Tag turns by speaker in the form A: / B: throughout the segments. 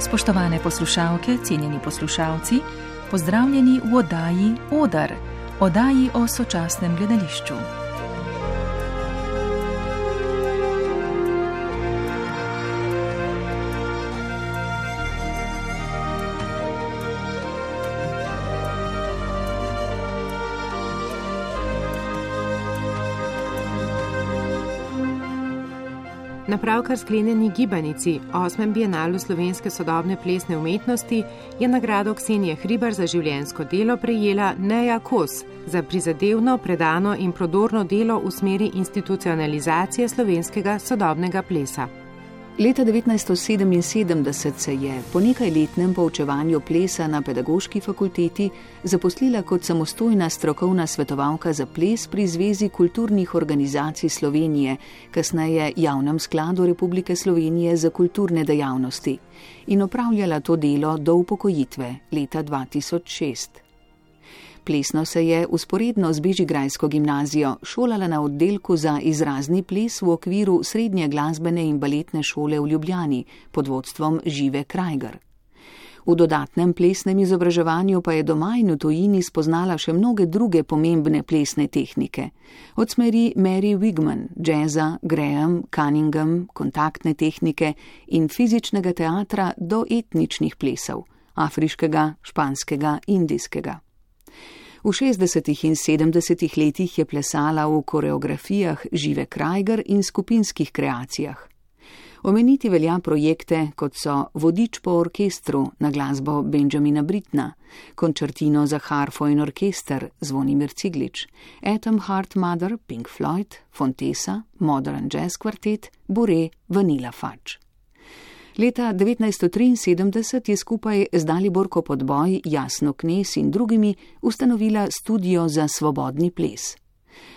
A: Spoštovane poslušalke, cenjeni poslušalci, pozdravljeni v oddaji Odar, oddaji o sočasnem gledališču.
B: Na pravkar sklenjeni gibanici, 8. bienalu slovenske sodobne plesne umetnosti, je nagrado Ksenije Hribar za življenjsko delo prejela Neja Kos za prizadevno, predano in prodorno delo v smeri institucionalizacije slovenskega sodobnega plesa.
C: Leta 1977 se je po nekajletnem poučevanju plesa na pedagoški fakulteti zaposlila kot samostojna strokovna svetovalka za ples pri Zvezi kulturnih organizacij Slovenije, kasneje Javnem skladu Republike Slovenije za kulturne dejavnosti, in opravljala to delo do upokojitve leta 2006. Plesno se je vzporedno z bežigrajsko gimnazijo šolala na oddelku za izrazni ples v okviru Srednje glasbene in baletne šole v Ljubljani pod vodstvom Žive Krajger. V dodatnem plesnem izobraževanju pa je doma in v tujini spoznala še mnoge druge pomembne plesne tehnike. Od smeri Mary Wigman, jazza, Graham, Cunningham, kontaktne tehnike in fizičnega teatra do etničnih plesov, afriškega, španskega, indijskega. V 60. in 70. letih je plesala v koreografijah Žive Krajger in skupinskih kreacijah. Omeniti velja projekte, kot so Vodič po orkestru na glasbo Benjamina Brittna, Končertino za harfo in orkester Zvonimir Ciglič, Atom Heart Mother Pink Floyd, Fontesa, Modern Jazz Quartet, Bourrée, Vanilla Fudge. Leta 1973 je skupaj z Daliborko Podboj, Jasno Knez in drugimi ustanovila Studio za svobodni ples.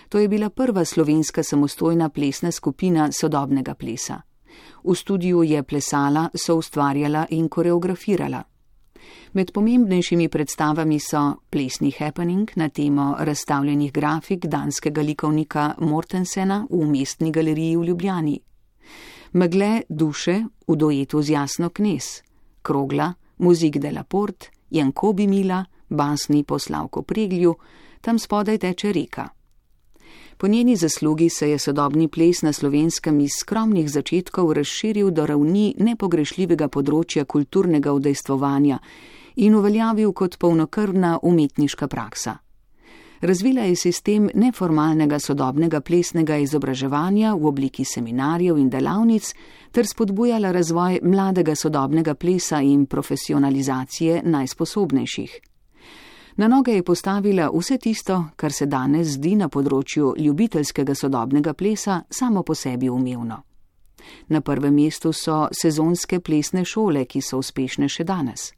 C: To je bila prva slovenska samostojna plesna skupina sodobnega plesa. V studiu je plesala, soustvarjala in koreografirala. Med pomembnejšimi predstavami so plesni happening na temo razstavljenih grafik danskega likovnika Mortensena v Mestni galeriji v Ljubljani, Megle duše v duetu z Jasno Knez, Krogla, Muzik de la Porte, Jankobi Mila, basni po Slavku Preglju, Tam spodaj teče reka. Po njeni zaslugi se je sodobni ples na Slovenskem iz skromnih začetkov razširil do ravni nepogrešljivega področja kulturnega udejstvovanja in uveljavil kot polnokrvna umetniška praksa. Razvila je sistem neformalnega sodobnega plesnega izobraževanja v obliki seminarjev in delavnic ter spodbujala razvoj mladega sodobnega plesa in profesionalizacije najsposobnejših. Na noge je postavila vse tisto, kar se danes zdi na področju ljubiteljskega sodobnega plesa samo po sebi umevno. Na prvem mestu so sezonske plesne šole, ki so uspešne še danes.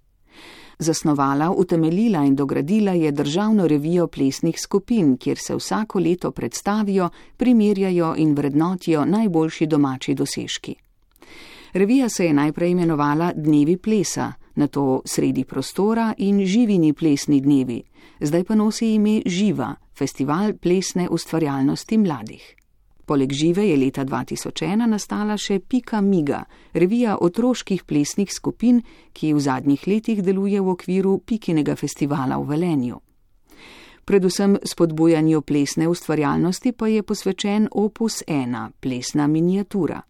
C: Zasnovala, utemeljila in dogradila je državno revijo plesnih skupin, kjer se vsako leto predstavijo, primerjajo in vrednotijo najboljši domači dosežki. Revija se je najprej imenovala Dnevi plesa, nato Sredi prostora in Živini plesni dnevi, zdaj pa nosi ime Živa, festival plesne ustvarjalnosti mladih. Poleg Žive je leta 2001 nastala še Pika Miga, revija otroških plesnih skupin, ki v zadnjih letih deluje v okviru Pikinega festivala v Velenju. Predvsem spodbujanju plesne ustvarjalnosti pa je posvečen Opus 1, plesna miniatura.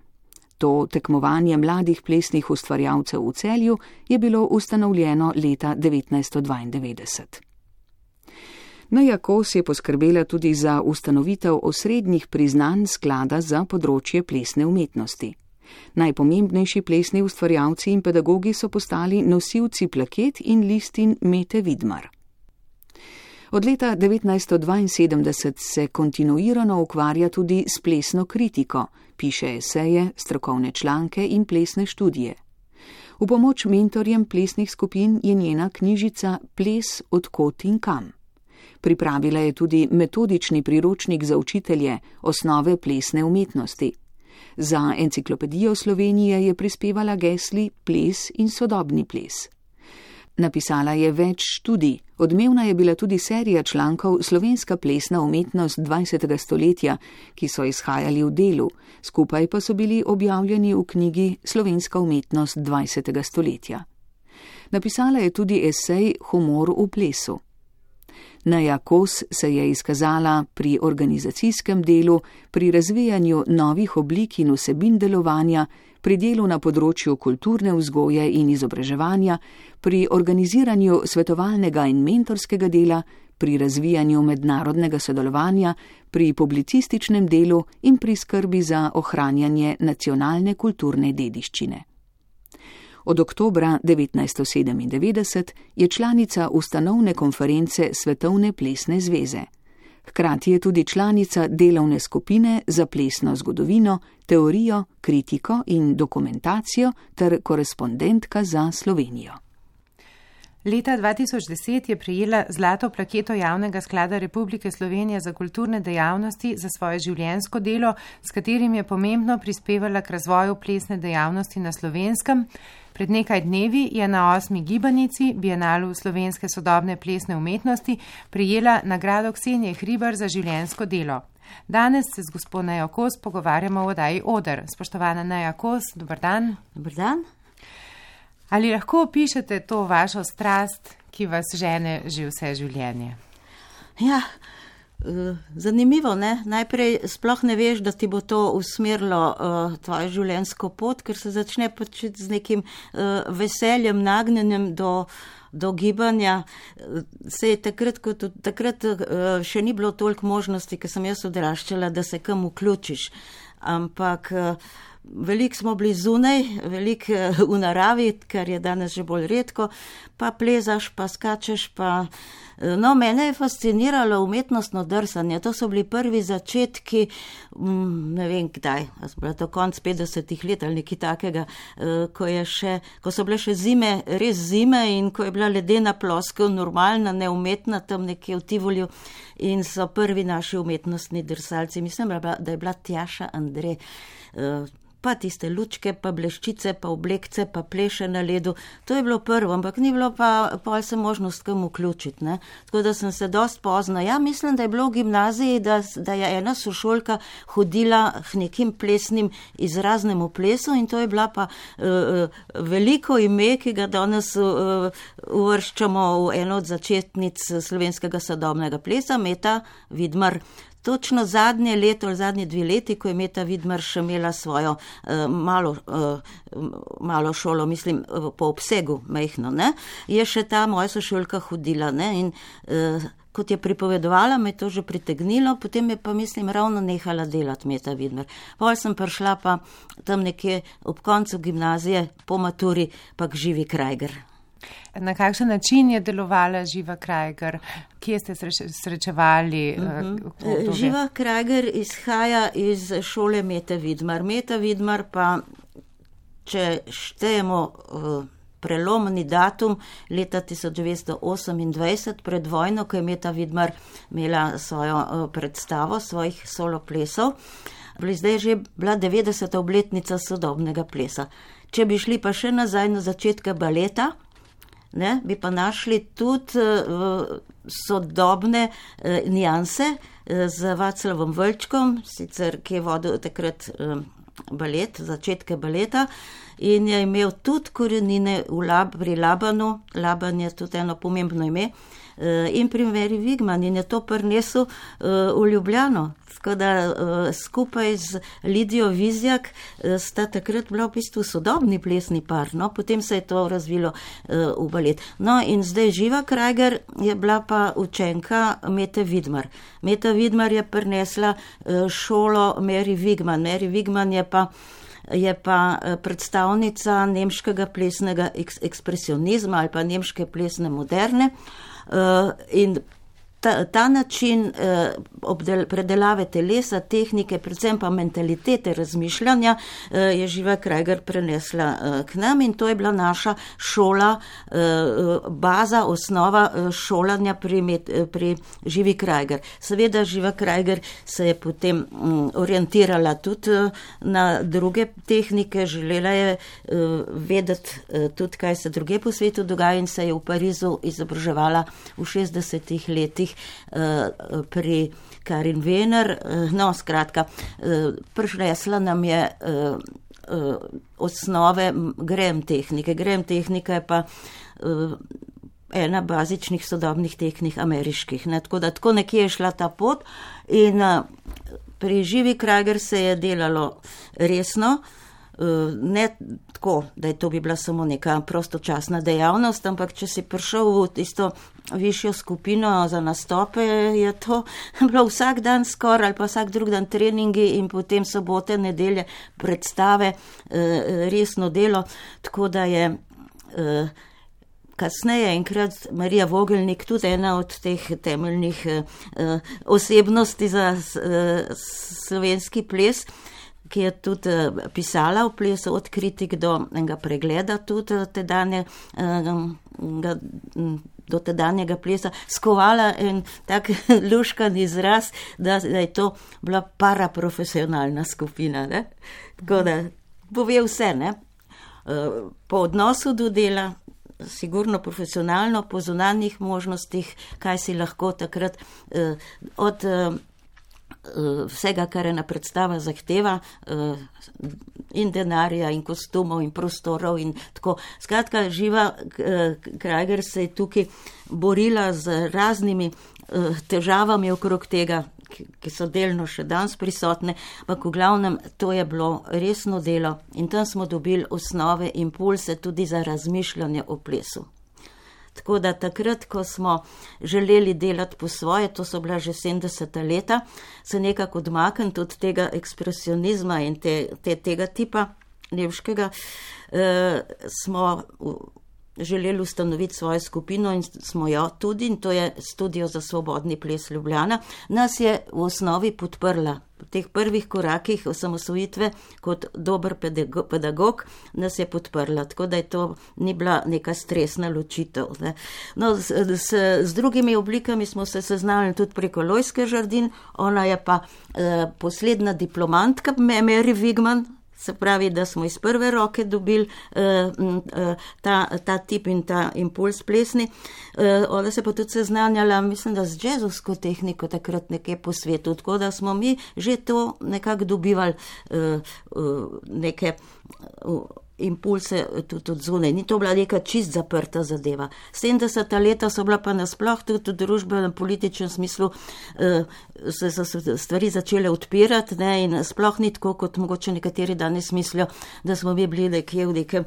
C: To tekmovanje mladih plesnih ustvarjalcev v Celju je bilo ustanovljeno leta 1992. Neja Kos je poskrbela tudi za ustanovitev osrednjih priznanj sklada za področje plesne umetnosti. Najpomembnejši plesni ustvarjalci in pedagogi so postali nosilci plaket in listin Mete Vidmar. Od leta 1972 se kontinuirano ukvarja tudi s plesno kritiko, piše eseje, strokovne članke in plesne študije. V pomoč mentorjem plesnih skupin je njena knjižica Ples od kod in kam. Pripravila je tudi metodični priročnik za učitelje osnove plesne umetnosti. Za Enciklopedijo Slovenije je prispevala gesli ples in sodobni ples. Napisala je več študij, odmevna je bila tudi serija člankov Slovenska plesna umetnost 20. stoletja, ki so izhajali v Delu, skupaj pa so bili objavljeni v knjigi Slovenska umetnost 20. stoletja. Napisala je tudi esej Humor v plesu. Neja Kos se je izkazala pri organizacijskem delu, pri razvijanju novih oblik in vsebin delovanja, pri delu na področju kulturne vzgoje in izobraževanja, pri organiziranju svetovalnega in mentorskega dela, pri razvijanju mednarodnega sodelovanja, pri publicističnem delu in pri skrbi za ohranjanje nacionalne kulturne dediščine. Od oktobra 1997 je članica ustanovne konference Svetovne plesne zveze. Hkrati je tudi članica delovne skupine za plesno zgodovino, teorijo, kritiko in dokumentacijo ter korespondentka za Slovenijo.
B: Leta 2010 je prejela zlato plaketo Javnega sklada Republike Slovenije za kulturne dejavnosti za svoje življenjsko delo, s katerim je pomembno prispevala k razvoju plesne dejavnosti na Slovenskem. Pred nekaj dnevi je na 8. gibanici Bienalu slovenske sodobne plesne umetnosti prejela nagrado Ksenije Hribar za življenjsko delo. Danes se z gospo Nejo Kos pogovarjamo o oddaji Oder. Spoštovana Neja Kos, dober dan.
D: Dober dan.
B: Ali lahko opišete to vašo strast, ki vas žene že vse življenje?
D: Ja, zanimivo, ne? Najprej sploh ne veš, da ti bo to usmerilo tvojo življenjsko pot, ker se začne početi z nekim veseljem, nagnjenjem do gibanja. Se je takrat še ni bilo toliko možnosti, ker sem jaz odraščala, da se kam vključiš. Ampak veliko smo bili zunaj, veliko v naravi, kar je danes že bolj redko, pa plezaš, pa skačeš, pa... No, mene je fasciniralo umetnostno drsanje. To so bili prvi začetki, ne vem kdaj, bila to konc 50 let ali nekaj takega, ko so bile še zime, res zime in ko je bila ledena ploskev normalna, neumetna, tam nekje v Tivolju in so prvi naši umetnostni drsalci. Mislim, da je bila Tjaša Andrej, pa tiste lučke, pa bleščice, pa oblekce, pa pleše na ledu. To je bilo prvo, ampak ni bilo pa pol se možnost kam vključiti, ne. Tako da sem se dost pozno. Ja, mislim, da je bilo v gimnaziji, da je ena sošolka hodila k nekim plesnim izraznemu plesu in to je bila pa veliko ime, ki ga danes uvrščamo v eno od začetnic slovenskega sodobnega plesa, Meta Vidmar. Točno zadnje leto ali zadnje 2 leti, ko je Meta Vidmar še imela svojo malo šolo, mislim, po obsegu majhno, ne, je še ta moja sošolka hodila, ne, in kot je pripovedovala, me je to že pritegnilo, potem je pa, mislim, ravno nehala delati Meta Vidmar. Pol sem prišla pa tam nekje ob koncu gimnazije, po maturi, pa k Živi Krajger.
B: Na kakšen način je delovala Živa Krajger? Kje ste srečevali?
D: Živa Krajger izhaja iz šole Mete Vidmar. Meta Vidmar pa, če štejemo prelomni datum leta 1928 pred vojno, ko je Meta Vidmar imela svojo predstavo svojih soloplesov, bi zdaj že bila 90. obletnica sodobnega plesa. Če bi šli pa še nazaj na začetka baleta, ne, bi pa našli tudi sodobne nianse z Vaclavom Vlčkom, sicer ki je vodil takrat balet, začetke baleta in je imel tudi korenine pri Labanu. Laban je tudi eno pomembno ime in pri Meri Wigman in je to prinesel v Ljubljano. Tako da skupaj z Lidijo Vizjak sta takrat bila v bistvu sodobni plesni par, no, potem se je to razvilo v balet. No, in zdaj Živa Krajger je bila pa učenka Mete Vidmar. Meta Vidmar je prinesla šolo Meri Wigman. Meri Wigman je pa predstavnica nemškega plesnega ekspresionizma ali pa nemške plesne moderne in ta način predelave telesa, tehnike, predvsem pa mentalitete razmišljanja je Živa Krajger prenesla k nam in to je bila naša šola, baza, osnova šolanja pri Živi Krajger. Seveda Živa Krajger se je potem orientirala tudi na druge tehnike, želela je vedeti tudi, kaj se druge po svetu dogaja in se je v Parizu izobraževala v 60. letih pri Karin Wener. No, skratka, prinesla nam je osnove Graham tehnike. Graham tehnika je pa ena bazičnih sodobnih tehnik ameriških. Ne? Tako nekje je šla ta pot in pri Živi Krager se je delalo resno, ne tako, da je to bi bila samo neka prostočasna dejavnost, ampak če si prišel v tisto višjo skupino za nastope, je to bilo vsak dan skoraj ali pa vsak drug dan treningi in potem sobote, nedelje predstave, resno delo, tako da je kasneje enkrat Marija Vogelnik, tudi ena od teh temeljnih osebnosti za slovenski ples, ki je tudi pisala v plesu od kritik do enega pregleda tudi do tedanjega plesa, skovala en tak luškan izraz, da je to bila paraprofesionalna skupina. Ne? Tako da pove vse, ne? Po odnosu do dela, sigurno profesionalno, po zunanjih možnostih, kaj si lahko takrat od vsega, kar ena predstava zahteva, in denarja, in kostumov, in prostorov, in tako. Skratka, Živa Krager se je tukaj borila z raznimi težavami okrog tega, ki so delno še danes prisotne, ampak v glavnem to je bilo resno delo in tam smo dobili osnove, impulse tudi za razmišljanje o plesu. Tako da takrat, ko smo želeli delati po svoje, to so bila že 70. leta, se nekako odmakniti od tega ekspresionizma in tega tipa nemškega, smo želeli ustanoviti svojo skupino in smo jo tudi, in to je Studio za svobodni ples Ljubljana. Nas je v osnovi podprla v teh prvih korakih osamosvojitve kot dober pedagog, nas je podprla, tako da je to ni bila neka stresna ločitev. Ne. No, z drugimi oblikami smo se seznanili tudi preko Lojske Žardin, ona je pa poslednja diplomantka Mary Wigman, se pravi, da smo iz prve roke dobili ta tip in ta impuls plesni. Ona se pa tudi seznanjala, mislim, da z džezovsko tehniko takrat nekje po svetu, tako da smo mi že to nekako dobivali neke impulse tudi od zunaj. Ni to bila neka čist zaprta zadeva. 70. leta so bila pa nasploh tudi v družbenem političnem smislu se so stvari začele odpirati, ne, in sploh ni tako, kot mogoče nekateri danes mislijo, da smo mi bili nekje v nekem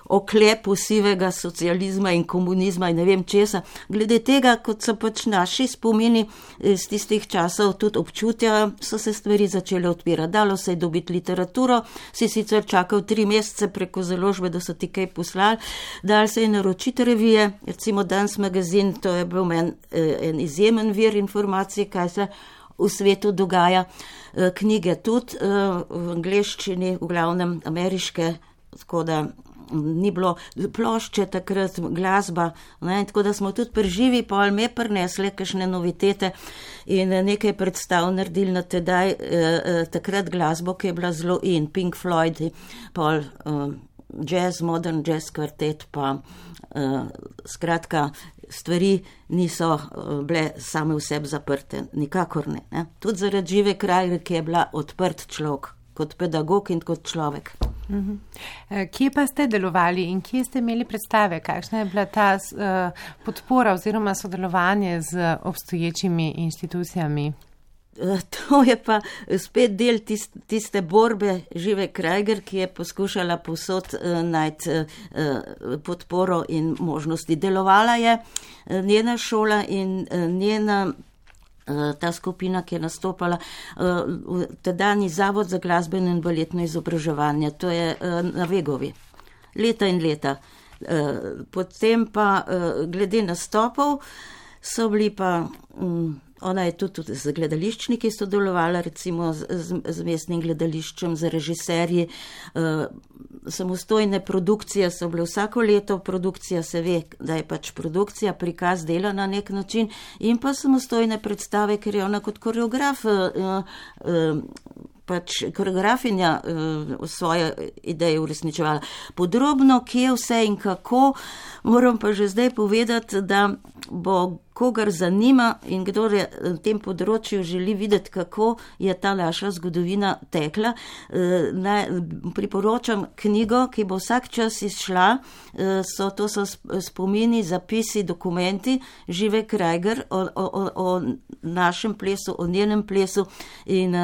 D: oklepu sivega socializma in komunizma in ne vem česa. Glede tega, kot so pač naši spomini iz tistih časov tudi občutja, so se stvari začele odpirati. Dalo se je dobiti literaturo, si sicer čakal 3 mesece preko založbe, da so ti kaj poslali, dal se je naročiti revije, recimo Dans magazin, to je bil meni en izjemen vir informacije, kaj se v svetu dogaja, knjige tudi v angleščini, v glavnem ameriške, tako da ni bilo plošče takrat, glasba, ne, tako da smo tudi preživi, pol me prinesle kakšne novitete in nekaj predstav naredili na tedaj takrat glasbo, ki je bila zelo in Pink Floyd, pol jazz, modern jazz kvartet, pa skratka stvari niso bile same v sebi zaprte, nikakor ne. Tudi zaradi Žive Krager, ki je bila odprt človek, kot pedagog in kot človek.
B: Kje pa ste delovali in kje ste imeli predstave? Kakšna je bila ta podpora oziroma sodelovanje z obstoječimi inštitucijami?
D: To je pa spet del tiste borbe Žive Krager, ki je poskušala povsod najti podporo in možnosti. Delovala je njena šola in njena ta skupina, ki je nastopala v tedanji Zavod za glasbeno in baletno izobraževanje, to je na Vegovi, leta in leta. Potem pa glede nastopov so bili pa, ona je tudi z gledališčniki sodelovala, recimo z mestnim gledališčem, z režiserji, samostojne produkcije so bile vsako leto, produkcija se ve, da je pač produkcija, prikaz dela na nek način, in pa samostojne predstave, ker je ona kot koreograf, pač koreografinja svoje ideje uresničevala. Podrobno, kje vse in kako, moram pa že zdaj povedati, da bo kogar zanima in kdo je na tem področju želi videti, kako je ta naša zgodovina tekla, priporočam knjigo, ki bo vsak čas izšla, to so spomini, zapisi, dokumenti Žive Krajger o našem plesu, o njenem plesu in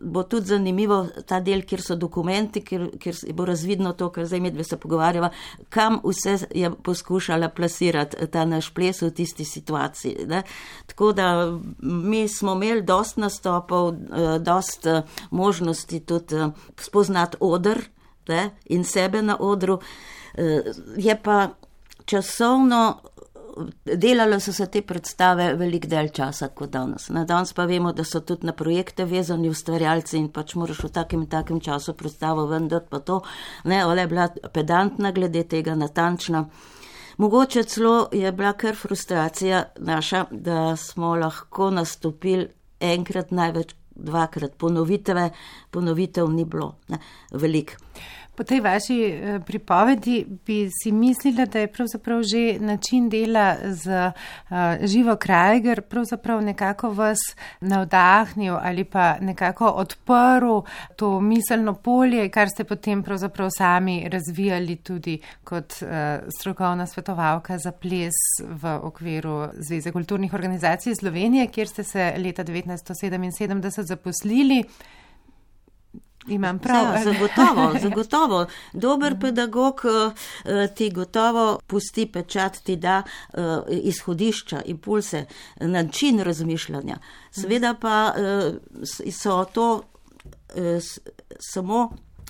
D: bo tudi zanimivo ta del, kjer so dokumenti, kjer bo razvidno to, kar zdaj medve se pogovarjava, kam vse je poskušala plasirati ta naš ples v tisti situaciji. Ne? Tako da mi smo imeli dost nastopov, dost možnosti tudi spoznati oder, ne? In sebe na odru. Je pa časovno delalo so se te predstave velik del časa kot danes. Danes pa vemo, da so tudi na projekte vezani ustvarjalci in pač moraš v takem času predstavo vendati pa to. Ne, ona je bila pedantna glede tega, natančna. Mogoče celo je bila kar frustracija naša, da smo lahko nastopili enkrat, največ dvakrat. Ponovitev ni bilo veliko.
B: Po tej vaši pripovedi bi si mislila, da je pravzaprav že način dela z Živo Krajger pravzaprav nekako vas navdahnil ali pa nekako odprl to miselno polje, kar ste potem pravzaprav sami razvijali tudi kot strokovna svetovalka za ples v okviru Zveze kulturnih organizacij Slovenije, kjer ste se leta 1977 zaposlili. Imam prav.
D: Ja, zagotovo. Dober pedagog ti gotovo pusti pečat, ti da izhodišča, impulse, način razmišljanja. Seveda pa so to samo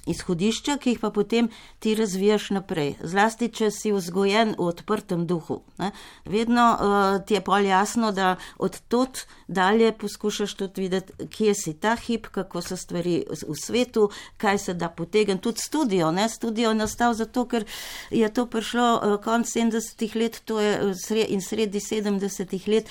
D: izhodišča, ki jih pa potem ti razvijaš naprej. Zlasti, če si vzgojen v odprtem duhu. Ne? Vedno ti je pol jasno, da od tod dalje poskušaš tudi videti, kje si ta hip, kako so stvari v svetu, kaj se da potegniti. Tudi studio. Ne? Studio je nastal zato, ker je to prišlo konc 70-ih let, to je in sredi 70-ih let.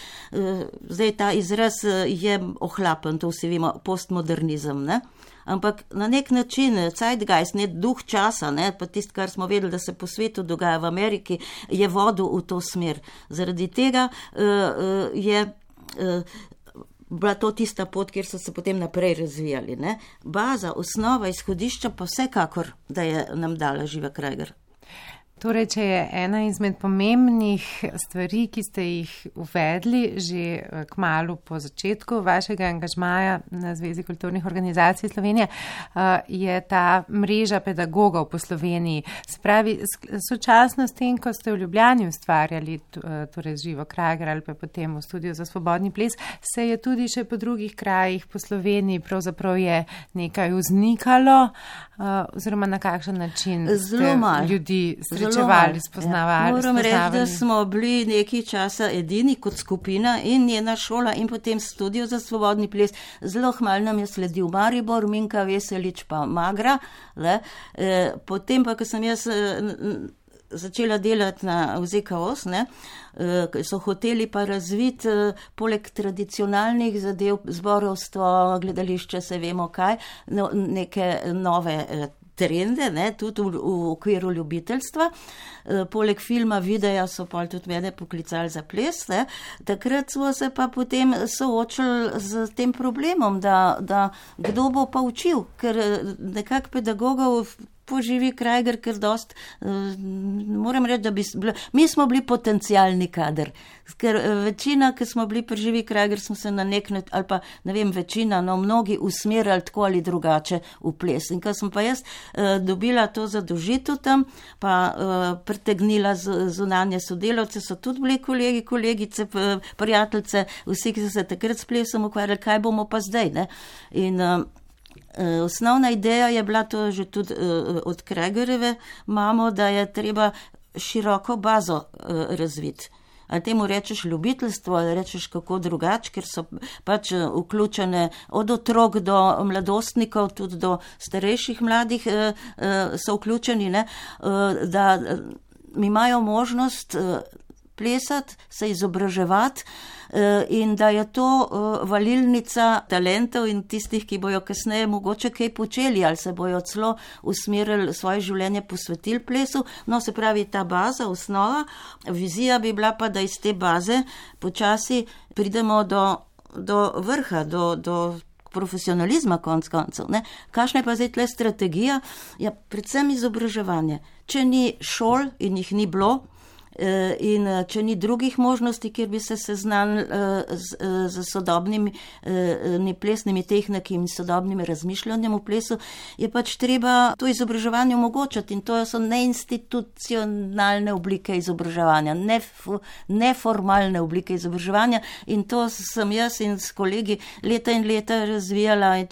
D: Zdaj ta izraz je ohlapen, to vsi vemo, postmodernizem. Ne? Ampak na nek način, zeitgeist, duh časa, pa tisto, kar smo vedeli, da se po svetu dogaja v Ameriki, je vodil v to smer. Zaradi tega je bila to tista pot, kjer so se potem naprej razvijali. Ne? Baza, osnova, izhodišča pa vsekakor, da je nam dala Živa Krajger.
B: Torej, če je ena izmed pomembnih stvari, ki ste jih uvedli že kmalu po začetku vašega angažmaja na Zvezi kulturnih organizacij Slovenije, je ta mreža pedagogov po Sloveniji. Se pravi, sočasno s tem, ko ste v Ljubljani ustvarjali, torej Živo Krajger ali pa potem v Studiu za svobodni ples, se je tudi še po drugih krajih po Sloveniji pravzaprav je nekaj vznikalo, oziroma na kakšen način ste ljudi srečevali, spoznavali.
D: Moram reči, da smo bili nekaj časa edini kot skupina in njena šola in potem Studio za svobodni ples. Zelo hmal nam je sledil Maribor, Minka Veselič pa Magra. Potem pa, ko sem jaz začela delati v ZKOS, so hoteli pa razviti poleg tradicionalnih zadev, zborovstvo, gledališče, se vemo kaj, neke nove trende, tudi v okviru ljubiteljstva. Poleg filma, videa so pa tudi mene poklicali za ples. Takrat smo se pa potem soočili z tem problemom, da kdo bo pa učil, ker nekako pedagogov po Živi Krajger, ker dost, moram reči, da mi smo bili potencialni kader, ker večina, ki smo bili pri Živi Krajger, smo se na nek način, ali pa ne vem, večina, mnogi usmerjali tako ali drugače v ples. In ko sem pa jaz dobila to zadolžitev tam, pa pritegnila zunanje sodelavce, so tudi bili kolegi, kolegice, prijateljice, vsi, ki so se takrat s plesom ukvarjali, kaj bomo pa zdaj, ne? In osnovna ideja je bila to že tudi od Krajgerjeve mamo, da je treba široko bazo razviti. Ali temu rečeš ljubiteljstvo, ali rečeš kako drugače, ker so pač vključene od otrok do mladostnikov, tudi do starejših mladih so vključeni, da imajo možnost plesati, se izobraževati in da je to valilnica talentov in tistih, ki bojo kasneje mogoče kaj počeli ali se bojo celo usmerili svoje življenje, posvetili plesu. No, se pravi, ta baza, osnova, vizija bi bila pa, da iz te baze počasi pridemo do vrha, do profesionalizma konc koncev. Kakšna je pa zdaj tle strategija? Ja, predvsem izobraževanje. Če ni šol in jih ni bilo, in če ni drugih možnosti, kjer bi se seznanili z sodobnimi plesnimi tehnikami in sodobnim razmišljanjem v plesu, je pač treba to izobraževanje omogočati in to so neinstitucionalne oblike izobraževanja, neformalne oblike izobraževanja in to sem jaz in s kolegi leta in leta razvijala in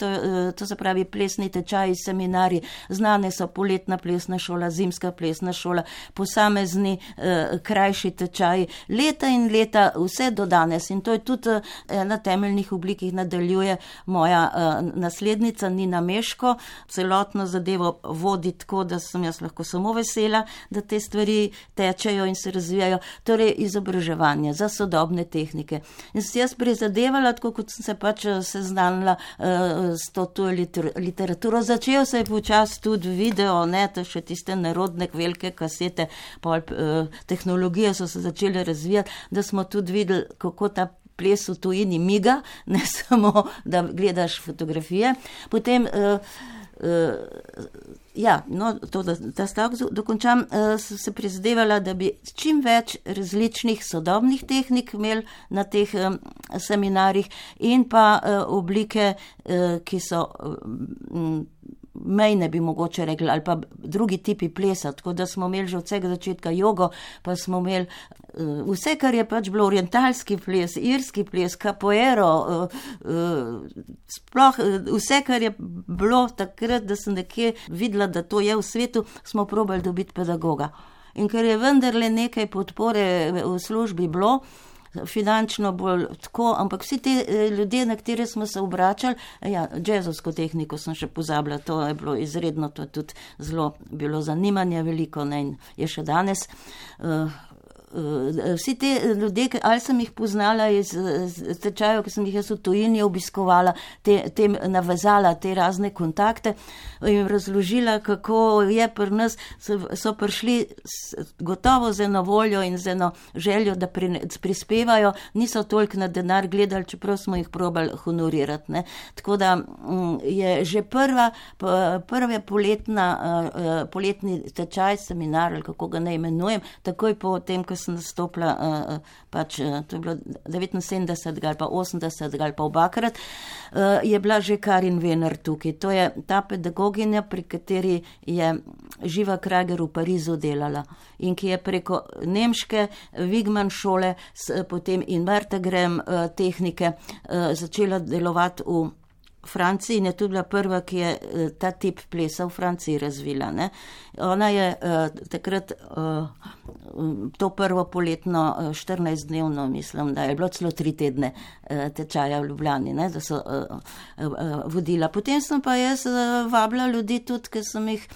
D: to se pravi plesni tečaji, seminarji, znane so poletna plesna šola, zimska plesna šola, posamezni krajši tečaji, leta in leta, vse do danes in to je tudi ena temeljnih oblik, ki jih nadaljuje moja naslednica Nina Meško, celotno zadevo vodi tako, da sem jaz lahko samo vesela, da te stvari tečejo in se razvijajo, torej izobraževanje za sodobne tehnike. In sem jaz prizadevala, tako kot sem se pač seznanila s to literaturo, začel se je počas tudi video, to še tiste narodne velike kasete, tehnologije so se začele razvijati, da smo tudi videli, kako ta ples v tujini miga, ne samo, da gledaš fotografije. Potem, da stavek dokončam, se prizadevala, da bi čim več različnih sodobnih tehnik imeli na teh seminarjih in pa oblike, ki so mejne, bi mogoče rekli, ali pa drugi tipi plesa, tako da smo imeli že od vsega začetka jogo, pa smo imeli vse, kar je pač bilo orientalski ples, irski ples, capoeiro, sploh vse, kar je bilo takrat, da sem nekje videla, da to je v svetu, smo probali dobiti pedagoga. In ker je vendarle nekaj podpore v službi bilo, finančno bolj tako, ampak vsi te ljudje, na katere smo se obračali, džezovsko tehniko sem še pozabila, to je bilo izredno, to je tudi zelo bilo zanimanje veliko, in je še danes. Vsi te ljudje, ali sem jih poznala iz tečajev, ki sem jih jaz v tujini obiskovala, tem navezala te razne kontakte in razložila, kako je pri nas, so prišli gotovo z eno voljo in z eno željo, da prispevajo, niso toliko na denar gledali, čeprav smo jih probali honorirati. Tako da je že prve poletni tečaj, seminar, ali kako ga ne imenujem, takoj po tem, ko sem nastopila, to je bilo 79 ali pa 80 ali pa obakrat, je bila že Karin Vener tukaj. To je ta pedagoginja, pri kateri je Živa Krager v Parizu delala in ki je preko nemške Wigman šole potem in Vertegrem tehnike začela delovati v Franciji in je tudi bila prva, ki je ta tip plesa v Franciji razvila. Ona je takrat to prvo poletno 14-dnevno, mislim, da je bilo celo 3 tedne tečaja v Ljubljani, da so vodila. Potem sem pa jaz vabila ljudi tudi, ker sem jih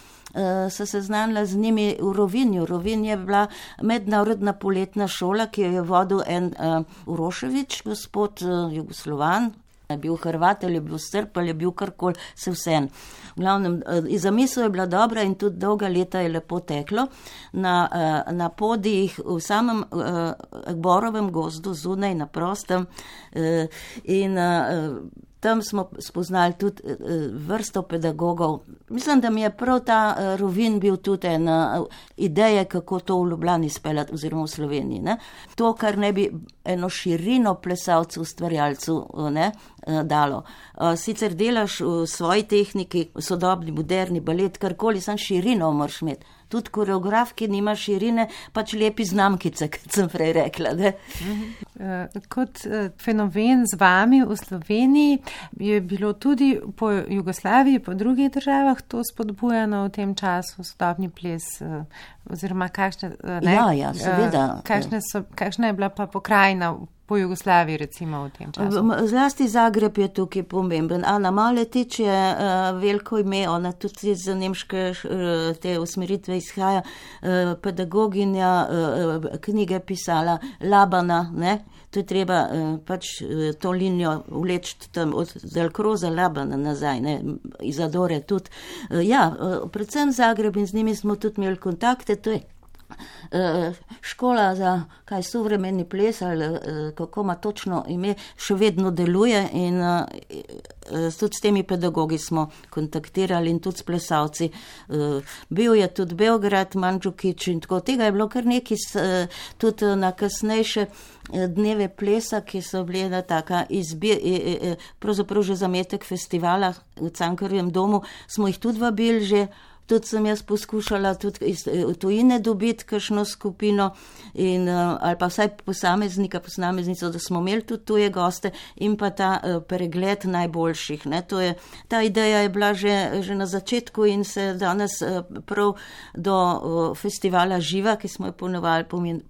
D: se seznanila z njimi v Rovinju. Rovinj je bila mednarodna poletna šola, ki jo je vodil en Uroševič, gospod Jugoslovan, je bil Hrvat ali je bil Srb ali je bil karkoli, se vsem. V glavnem, zamisel je bila dobra in tudi dolga leta je lepo teklo. Na podijih v samem Borovem gozdu, zunaj na prostem in tam smo spoznali tudi vrsto pedagogov. Mislim, da mi je prav ta Rovinj bil tudi ena ideja, kako to v Ljubljani speljati oziroma v Sloveniji. To, kar ne bi eno širino plesalcev, ustvarjalcev dalo. Sicer delaš v svoji tehniki, sodobni, moderni balet, karkoli, sam širino moraš imeti. Tudi koreograf, ki nima širine, pač lepi znamkice, kot sem prej rekla.
B: Kot fenomen z vami v Sloveniji je bilo tudi po Jugoslaviji, po drugih državah to spodbujano v tem času, sodobni ples oziroma kakšne,
D: Ja, seveda.
B: Kakšna je bila pa pokrajina po Jugoslaviji, recimo, v tem času?
D: Zlasti Zagreb je tukaj pomemben. Ana Maletič je veliko ime, ona tudi iz nemške te usmeritve izhaja, pedagoginja, knjige pisala, Labana, ne? To je treba pač to linijo vleči tam od Delkroza Labana nazaj, ne? Izadore tudi. Predvsem Zagreb in z njimi smo tudi imeli kontakte, to je škola za sovremeni ples ali kako ima točno ime, še vedno deluje in tudi s temi pedagogi smo kontaktirali in tudi s plesalci. Bil je tudi Beograd, Mandžukić in tako. Tega je bilo kar nekaj tudi na kasnejše dneve plesa, ki so bili ena taka pravzaprav že zametek festivala v Cankarjevem domu, smo jih tudi vabili že. Tudi sem jaz poskušala tudi iz tujine dobiti kakšno skupino ali pa vsaj posameznico, da smo imeli tudi tuje goste in pa ta pregled najboljših. Ne. Ta ideja je bila že na začetku in se danes prav do festivala Živa, ki smo jo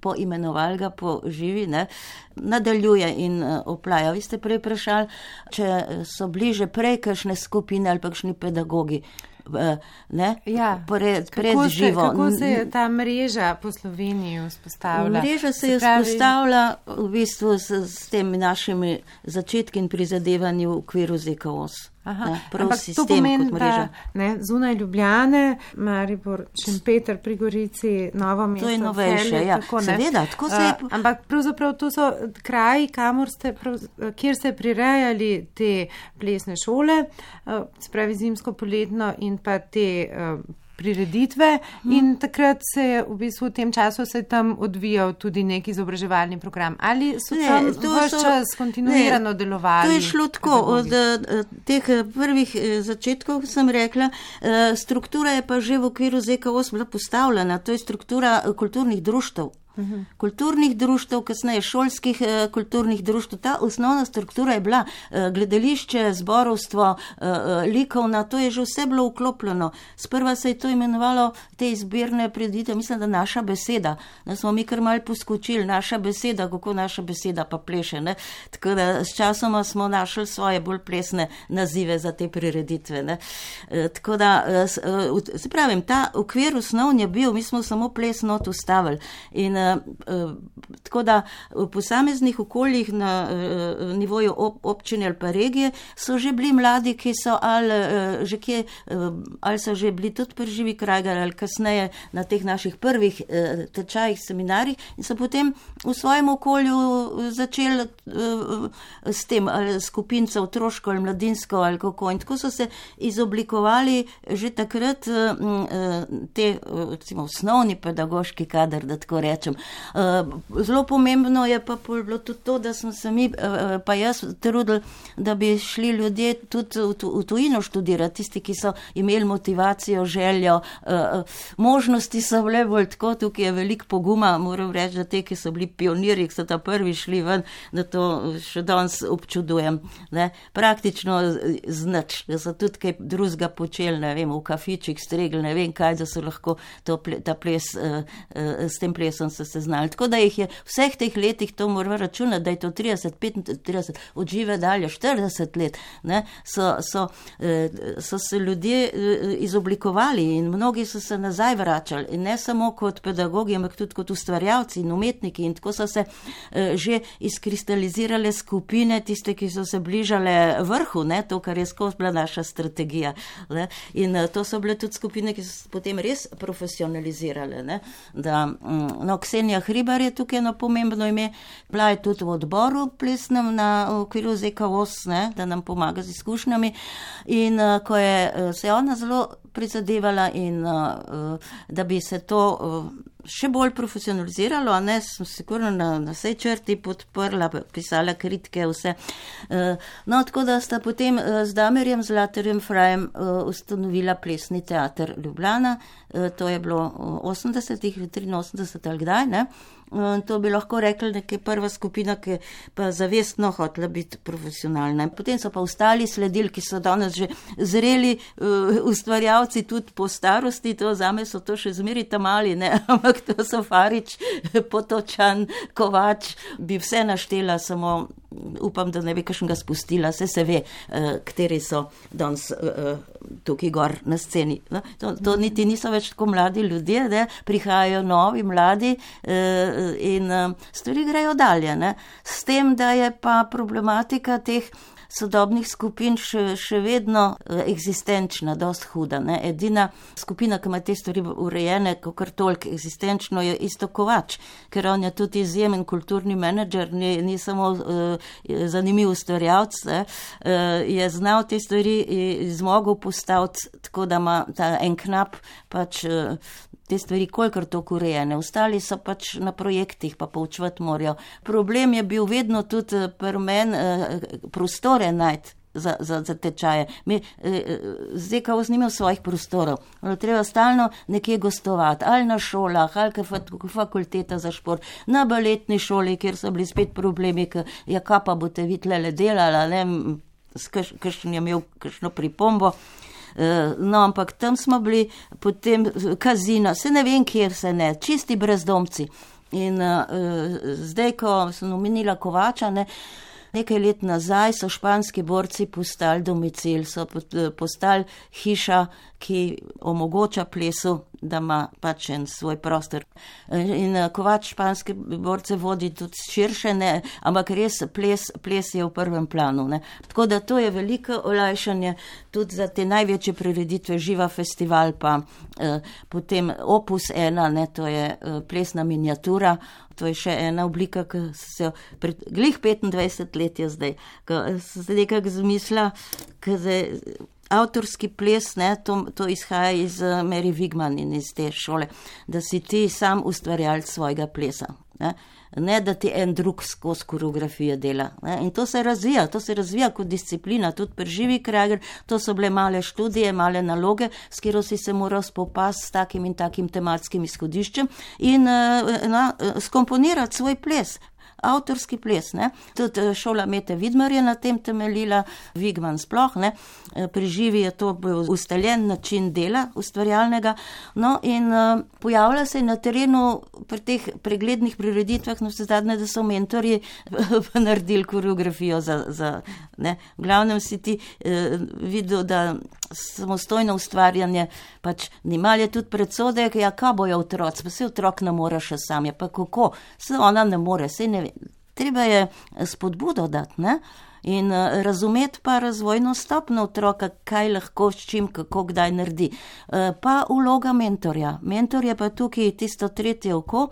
D: poimenovali ga po Živi, ne, nadaljuje in oplaja. Vi ste prej vprašali, če so bliže prej kakšne skupine ali pa kakšni pedagogi. Pred Živo.
B: Kako se je ta mreža po Sloveniji vzpostavila?
D: Mreža se je vzpostavila v bistvu s temi našimi začetki in prizadevanji v okviru ZKOS.
B: Ampak to pomeni, da zunaj Ljubljane, Maribor, Šempeter pri Gorici, Novo mesto,
D: to je novejše, seveda, tako se je.
B: Ampak pravzaprav to so kraji, kjer ste prirejali te plesne šole, spravi zimsko, poletno in pa te prireditve in takrat se je v bistvu v tem času se tam odvijal tudi nek izobraževalni program. Ali so tam vaš čas kontinuirano delovali?
D: To je šlo tako. Od teh prvih začetkov sem rekla, struktura je pa že v okviru ZKOS bila postavljena. To je struktura kulturnih društev. Kulturnih društev, kasneje šolskih kulturnih društev. Ta osnovna struktura je bila gledališče, zborovstvo, likovna, to je že vse bilo vklopljeno. Sprva se je to imenovalo te izbirne prireditve, mislim, da Naša beseda. Da smo mi kar malo poskočili, Naša beseda, kako naša beseda pa pleše. Ne? Tako da s časoma smo našli svoje bolj plesne nazive za te prireditve. Ne? Tako da, se pravim, ta okvir osnovni je bil, mi smo samo ples not ustavili. In tako da v posameznih okoljih na nivoju občine ali pa regije so že bili mladi, ki so ali so že bili tudi pri Živi Krajgar ali kasneje na teh naših prvih tečajih, seminarjih in so potem v svojem okolju začeli s tem skupinco otroško ali mladinsko ali kako in tako so se izoblikovali že takrat te recimo osnovni pedagoški kader, da tako rečem. Zelo pomembno je pa bilo tudi to, da smo se mi, pa jaz trudili, da bi šli ljudje tudi v tujino študirati, tisti, ki so imeli motivacijo, željo, možnosti so bile bolj tako, tukaj je veliko poguma, moram reči, da te, ki so bili pionirji, ki so ta prvi šli ven, da to še danes občudujem. Ne? Praktično znač, da so tudi kaj drugega počeli, ne vem, v kafičih stregli, ne vem kaj, da so lahko ta ples, s tem plesom so se znali. Tako da jih je vseh teh letih, to moramo računati, da je to 30, 35, od Žive dalje 40 let, ne, so se ljudje izoblikovali in mnogi so se nazaj vračali. In ne samo kot pedagogi, ampak tudi kot ustvarjalci in umetniki. In tako so se že izkristalizirale skupine, tiste, ki so se bližale vrhu, ne, to, kar je skozi bila naša strategija. Ne. In to so bile tudi skupine, ki so se potem res profesionalizirale. Ne. Ksenija Hribar je tukaj eno pomembno ime, bila je tudi v odboru plesnem na okviru ZKOS, ne, da nam pomaga z izkušnjami in ko je se ona zelo prizadevala in da bi se to še bolj profesionaliziralo, a ne, sem sigurno na vsej črti podprla, pisala kritike, vse. Tako da sta potem z Damirjem Zlatarjem Frajem ustanovila Plesni teater Ljubljana to je bilo 80-ih, 83 ali kdaj, ne? To bi lahko rekli nekaj prva skupina, ki pa zavestno hotela biti profesionalna. Potem so pa ostali sledili, ki so danes že zreli ustvarjalci tudi po starosti, to zame so to še zmeri tamali, ne, ampak to so Farič, Potočan, Kovač, bi vse naštela, samo upam, da ne bi kakšnega spustila, se ve, kateri so danes tukaj gor na sceni. To niti niso več tako mladi ljudje, ne, prihajajo novi, mladi, in stvari grejo dalje, ne. S tem, da je pa problematika teh sodobnih skupin še vedno eksistenčna, dost huda, ne. Edina skupina, ki ima te stvari urejene, kakor toliko eksistenčno, je isto Kovač, ker on je tudi izjemen kulturni menedžer, ni samo zanimiv ustvarjalec, je znal te stvari zmogel postaviti, tako da ima ta en knap pač te stvari kolikor toliko urejene. Ostali so pač na projektih, pa poučevati morajo. Problem je bil vedno tudi pri meni prostore najti za tečaje. Zdaj, ko snimam svojih prostorov, treba stalno nekje gostovati, ali na šolah, ali fakulteta za šport, na baletni šoli, kjer so bili spet problemi, ja, kaj pa boste vi tlele delala, ne, kakšen je imel kakšno pripombo. No, ampak tam smo bili, potem kazino, se ne vem, kjer se ne, čisti brezdomci. In zdaj, ko sem omenila Kovača, ne, nekaj let nazaj so španski borci postali domicil, so postali hiša, ki omogoča plesu, da ima pač en svoj prostor. In Kovač španske borce vodi tudi širše, ne, ampak res ples je v prvem planu, ne. Tako da to je veliko olajšanje tudi za te največje prireditve, Živa festival, pa potem Opus 1, ne, to je plesna miniatura, to je še ena oblika, ki se glih 25 let je zdaj, ko se nekako zmislila, avtorski ples, ne, to izhaja iz Mary Wigman in iz te šole, da si ti sam ustvarjalec svojega plesa, ne da ti en drug skozi koreografije dela. Ne. In to se razvija kot disciplina, tudi pri Živi Krager, to so bile male študije, male naloge, s katero si se moral spopasti s takim in takim tematskim izhodiščem in skomponirati svoj ples. Avtorski ples, ne. Tudi šola Mete Vidmar je na tem temeljila, Wigman sploh, ne. Pri Živi je to bil ustaljen način dela ustvarjalnega, no, in pojavlja se na terenu pri teh preglednih prireditvah, no, zadnje, da so mentorji naredili koreografijo za ne. V glavnem si ti videl, da samostojno ustvarjanje pač nimal je tudi predsodek, ja, kaj bojo otroci, pa se otrok ne more še sam, je pa kako, se ona ne more, se ne ve. Treba je spodbudo dati, ne? In razumeti pa razvojno stopnjo otroka, kaj lahko, s čim, kako, kdaj naredi. Pa vloga mentorja. Mentor je pa tukaj tisto tretje oko,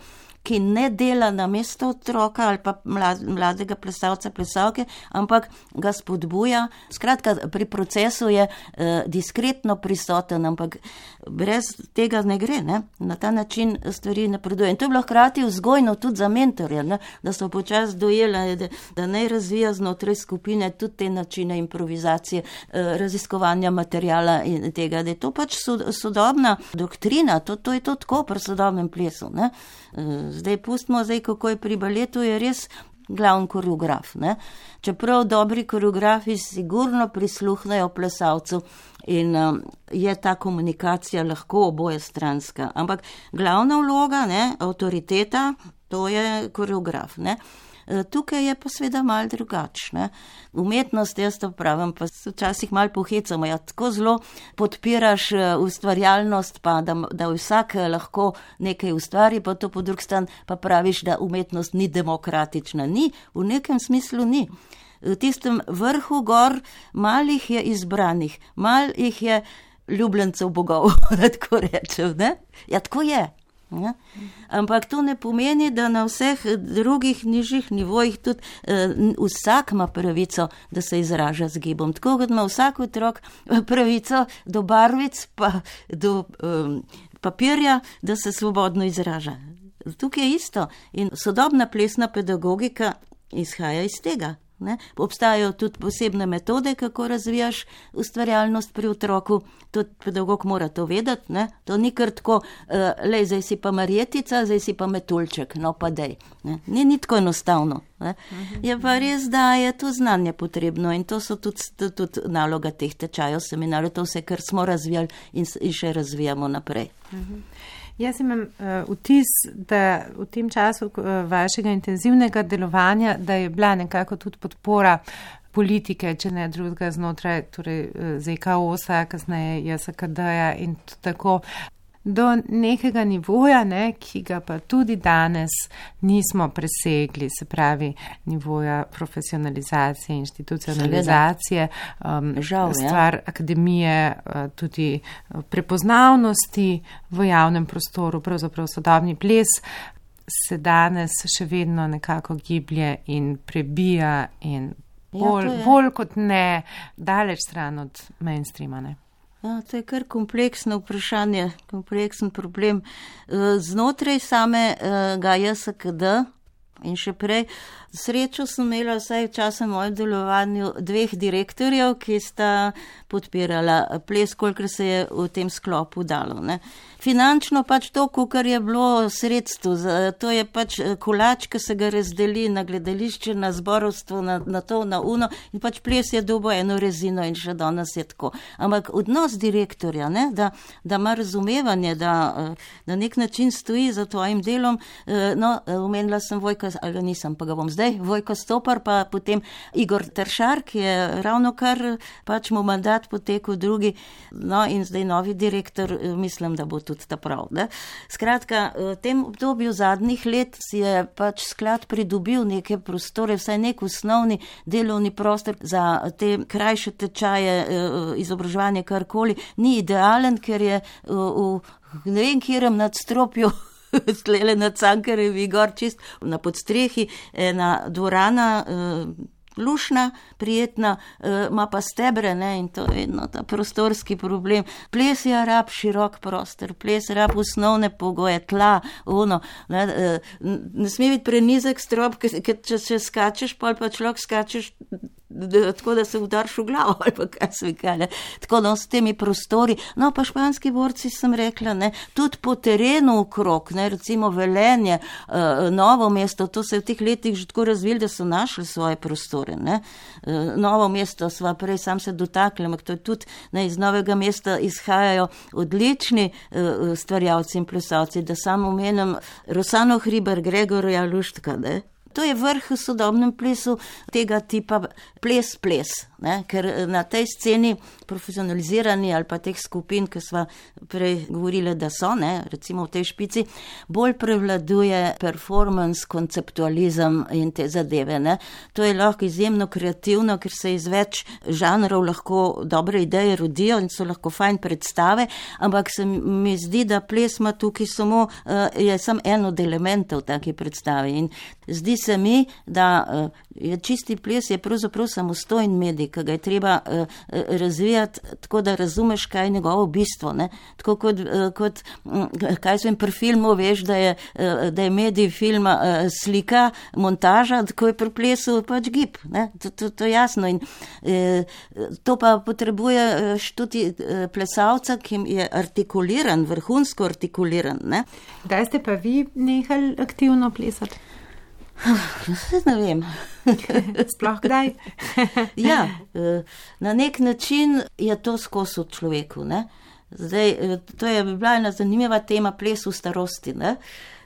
D: ki ne dela na mesto otroka ali pa mladega plesalca, plesalke, ampak ga spodbuja. Skratka, pri procesu je diskretno prisoten, ampak brez tega ne gre, ne? Na ta način stvari napreduje. In to je bilo hkrati vzgojno tudi za mentorja, ne? Da so počasi dojeli, da naj razvija znotraj skupine tudi te načine improvizacije, raziskovanja materijala in tega, da je to pač sodobna doktrina, to je to tako pri sodobnem plesu, ne? Zdaj pustimo, kako je pri baletu, je res glavni koreograf, ne. Čeprav dobri koreografi sigurno prisluhnejo plesalcu in je ta komunikacija lahko obojestranska, ampak glavna vloga, ne, avtoriteta, to je koreograf, ne. Tukaj je pa seveda malo drugačne. Umetnost, jaz to pravim, pa včasih malo pohecamo, ja, tako zelo podpiraš ustvarjalnost, pa da vsak lahko nekaj ustvari, pa to po drug stran pa praviš, da umetnost ni demokratična. Ni, v nekem smislu ni. V tistem vrhu gor malih je izbranih, malih je ljubljencev bogov, da tako rečem, ne? Ja, tako je. Ja. Ampak to ne pomeni, da na vseh drugih nižjih nivojih tudi vsak ima pravico, da se izraža z gibom. Tako kot ima vsak otrok pravico do barvic pa do papirja, da se svobodno izraža. Tukaj je isto in sodobna plesna pedagogika izhaja iz tega. Ne? Obstajajo tudi posebne metode, kako razvijaš ustvarjalnost pri otroku. Tudi pedagog mora to vedeti. Ne? To ni kar tako, lej, zdaj si pa marjetica, zdaj si pa metuljček, no pa dej. Ne? Ni tako enostavno. Ne? Je pa res, da je to znanje potrebno in to so tudi naloga teh tečajev, seminarjev, to vse, kar smo razvijali in še razvijamo naprej.
B: Jaz imam vtis, da v tem času vašega intenzivnega delovanja, da je bila nekako tudi podpora politike, če ne drugega znotraj, torej ZKOS-a, kasneje JSKD-ja in tako do nekega nivoja, ne, ki ga pa tudi danes nismo presegli, se pravi nivoja profesionalizacije, institucionalizacije, stvar akademije, tudi prepoznavnosti v javnem prostoru, pravzaprav sodobni ples se danes še vedno nekako giblje in prebija in bolj kot ne daleč stran od mainstreama, ne.
D: Ja, to je kar kompleksno vprašanje, kompleksen problem. Znotraj samega JSKD in še prej, srečo sem imela vsaj v času mojem delovanju 2 direktorjev, ki sta podpirala ples, kolikor se je v tem sklopu dalo. Ne. Finančno pač to, kar je bilo sredstvo, to je pač kolač, ki se ga razdeli na gledališče, na zborovstvo, na to, na uno in pač ples je dobo eno rezino in še danes je tako. Ampak odnos direktorja, ne, da ima razumevanje, da na nek način stoji za tvojim delom, omenila sem Vojka, ali nisem, pa ga bom zdaj, Vojko Stopar, pa potem Igor Teršar, ki je ravno kar pač mu mandat potekel drugi, in zdaj novi direktor, mislim, da bo tudi ta prav. Ne? Skratka, v tem obdobju zadnjih let si je pač sklad pridobil neke prostore, vsaj nek osnovni delovni prostor za te krajše tečaje, izobraževanje karkoli. Ni idealen, ker je v ne vem kjerem nadstropju stlele na Cankarjevi gor, čist na podstrehi, ena dvorana, lušna, prijetna, ima pa stebre, ne, in to je ta prostorski problem. Ples je rab širok prostor, ples rab osnovne pogoje, tla, ne sme biti prenizek strop, ker če skačeš, pa človek skačeš tako, da se udariš v glavo, ali pa kaj se vikale. Tako da s temi prostori, pa španski borci sem rekla, ne, tudi po terenu okrog, ne, recimo Velenje, Novo mesto, to se je v teh letih že tako razvili, da so našli svoje prostore, ne. Novo mesto sva prej sam se dotakli, ampak to je tudi, ne, iz Novega mesta izhajajo odlični stvarjalci in plesalci, da samo omenim Rosano Hribar, Gregorja Luštka, ne. To je vrh v sodobnem plesu tega tipa ples, ne? Ker na tej sceni profesionalizirani ali pa teh skupin, ki sva prej govorili, da so, ne? Recimo v tej špici, bolj prevladuje performance, konceptualizem in te zadeve. Ne? To je lahko izjemno kreativno, ker se iz več žanrov lahko dobre ideje rodijo in so lahko fajn predstave, ampak se mi zdi, da ples ima tukaj je samo en od elementov take predstave in zdi se mi, da je čisti ples je pravzaprav samostojen medij, ki ga je treba razvijati tako, da razumeš, kaj je njegovo bistvo. Ne? Tako kot kaj sem pri filmu, veš, da je medij filma slika, montaža, tako je pri plesu pač gib. Ne? To je jasno. In to pa potrebuje tudi plesalca, ki je artikuliran, vrhunsko artikuliran. Ne?
B: Kdaj ste pa vi nehali aktivno plesati?
D: Ne vem.
B: Sploh kdaj?
D: Ja, na nek način je to skozi v človeku. Ne? Zdaj, to je bila ena zanimiva tema, ples v starosti. Ne?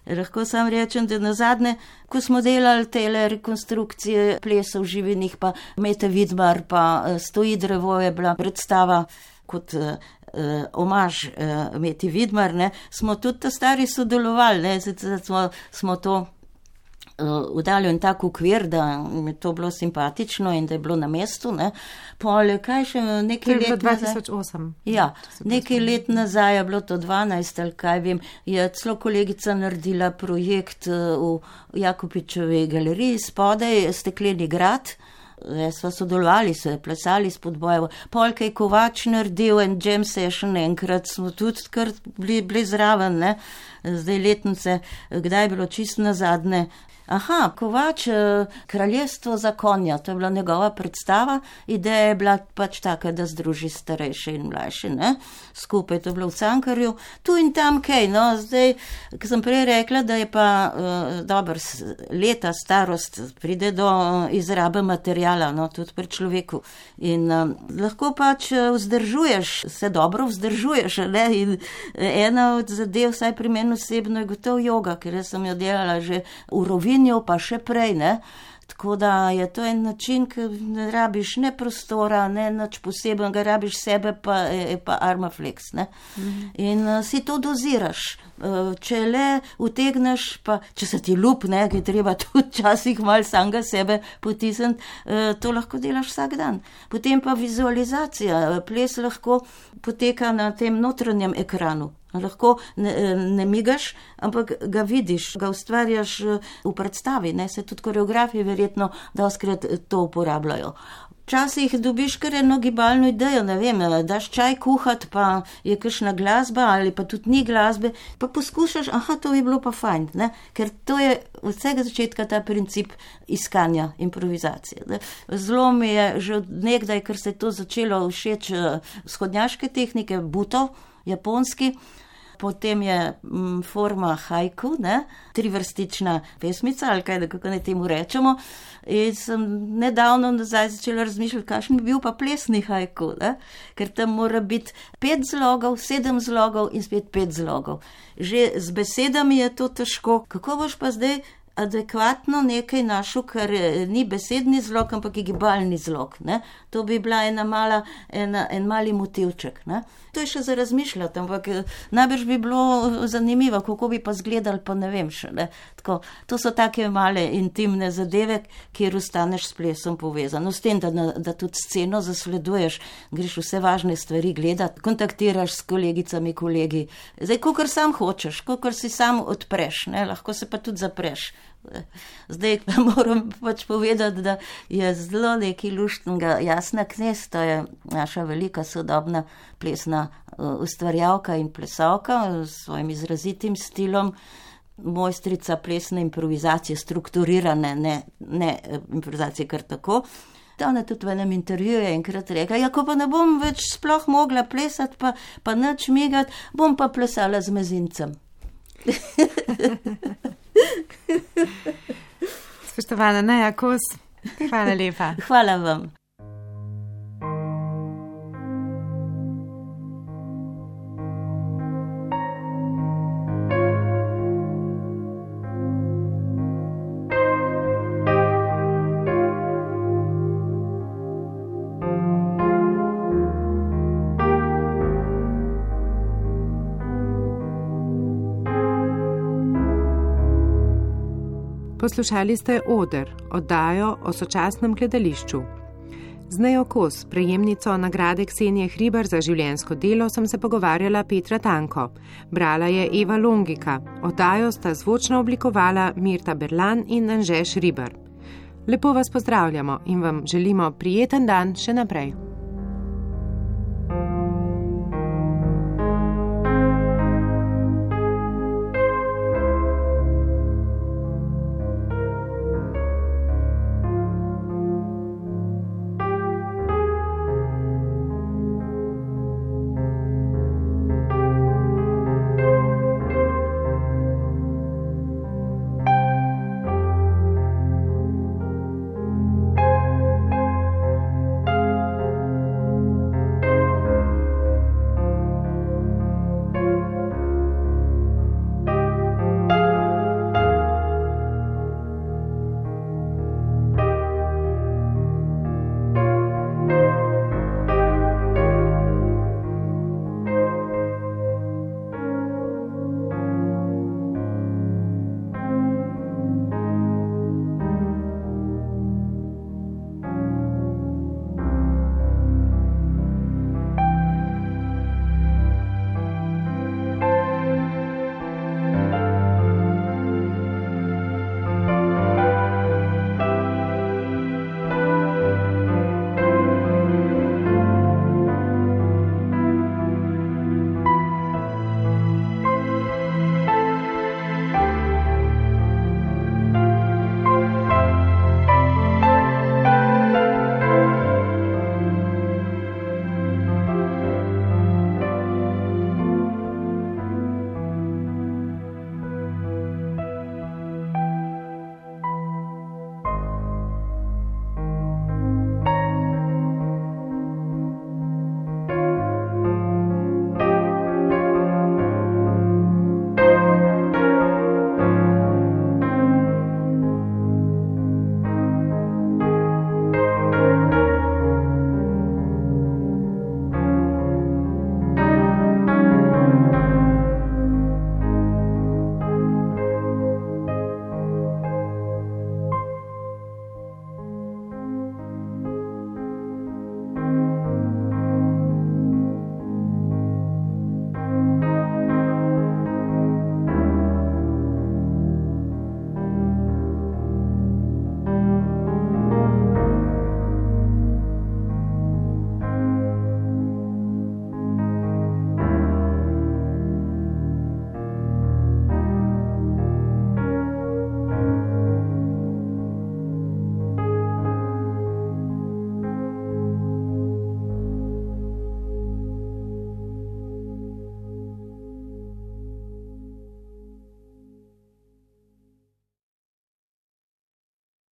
D: Lahko sam rečem, da nazadnje, ko smo delali tele rekonstrukcije plesov živinih, pa Mete Vidmar, pa Stoji drevo je bila predstava kot omaž Meti Vidmar, ne? Smo tudi ta stari sodelovali, ne? Zdaj, smo to udaljo in tak ukvir, da mi to bilo simpatično in da je bilo na mestu, ne. Pol, kaj še nekaj let nazaj?
B: 2008.
D: Ja, nekaj let nazaj je bilo to 12, ali kaj vem, je celo kolegica naredila projekt v Jakopičevi galeriji, spodaj Stekleni grad. Sva sodelovali, se plesali spodbojevo. Pol, kaj Kovač naredil en jam session, enkrat smo tudi kar bili zraven, ne. Zdaj letnice, kdaj je bilo čisto nazadnje, Aha, Kovač, Kraljestvo za konja, to je bila njegova predstava, ideja je bila pač taka, da združi starejše in mlajše, ne? Skupaj, to je bilo v Cankarju, tu in tam kaj, no, zdaj, ko sem prej rekla, da je pa leta starost, pride do izrabe materijala, no, tudi pri človeku in lahko pač se dobro vzdržuješ, ne, in ena od zadev, vsaj pri meni osebno, je gotovo joga, ker jaz sem jo delala že v Rovinju, pa še prej, ne. Tako da je to en način, ki ne rabiš ne prostora, ne nič posebnega, rabiš sebe pa Armaflex, ne. In si to doziraš. Če le utegneš, pa če se ti ljub, ne, ki je treba tudi časih malo samega sebe potisniti, to lahko delaš vsak dan. Potem pa vizualizacija. Ples lahko poteka na tem notranjem ekranu. Lahko ne migaš, ampak ga vidiš, ga ustvarjaš v predstavi, ne, se tudi koreografi verjetno dostikrat to uporabljajo. Včasih dobiš kar eno gibalno idejo, ne vem, daš čaj kuhat, pa je kakšna glasba ali pa tudi ni glasbe, pa poskušaš, to bi bilo pa fajn, ne, ker to je od vsega začetka ta princip iskanja, improvizacije. Ne. Zelo mi je že od nekdaj, ker se je to začelo všeč vzhodnjaške tehnike, buto, japonski, potem je forma haiku, ne, trivrstična pesmica, ali kaj, kako ne temu rečemo, in sem nedavno nazaj začela razmišljati, kakšen bi bil pa plesni haiku, ne, ker tam mora biti 5 zlogov, 7 zlogov in spet 5 zlogov. Že z besedami je to težko, kako boš pa zdaj adekvatno nekaj našel, kar ni besedni zlog, ampak je gibalni zlog, ne. To bi bila en mali motivček, ne. To je še za razmišljati, ampak najbrž bi bilo zanimivo, kako bi pa zgledali, pa ne vem še, ne. Tako, to so take male intimne zadeve, kjer ostaneš s plesom povezan. S tem, da tudi sceno zasleduješ, greš vse važne stvari gledati, kontaktiraš s kolegicami, kolegi. Zdaj, kakor sam hočeš, kakor si sam odpreš, ne, lahko se pa tudi zapreš. Zdaj pa moram pač povedati, da je zelo nekaj luštnega. Jasna Knez, to je naša velika sodobna plesna ustvarjalka in plesalka s svojim izrazitim stilom, mojstrica plesne improvizacije, strukturirane, ne improvizacije kar tako. Ona tudi v enem intervjuju je enkrat rekla, ko pa ne bom več sploh mogla plesati, pa nič migati, bom pa plesala z mezincem.
B: Spoštovana Neja Kos, hvala lepa.
D: Hvala vam.
B: Poslušali ste Oder, oddajo o sočasnem gledališču. Z Nejo Kos, prejemnico nagrade Ksenije Hribar za življenjsko delo, sem se pogovarjala Petra Tanko. Brala je Eva Longika. Oddajo sta zvočno oblikovala Mirta Berlan in Anže Šribar. Lepo vas pozdravljamo in vam želimo prijeten dan še naprej.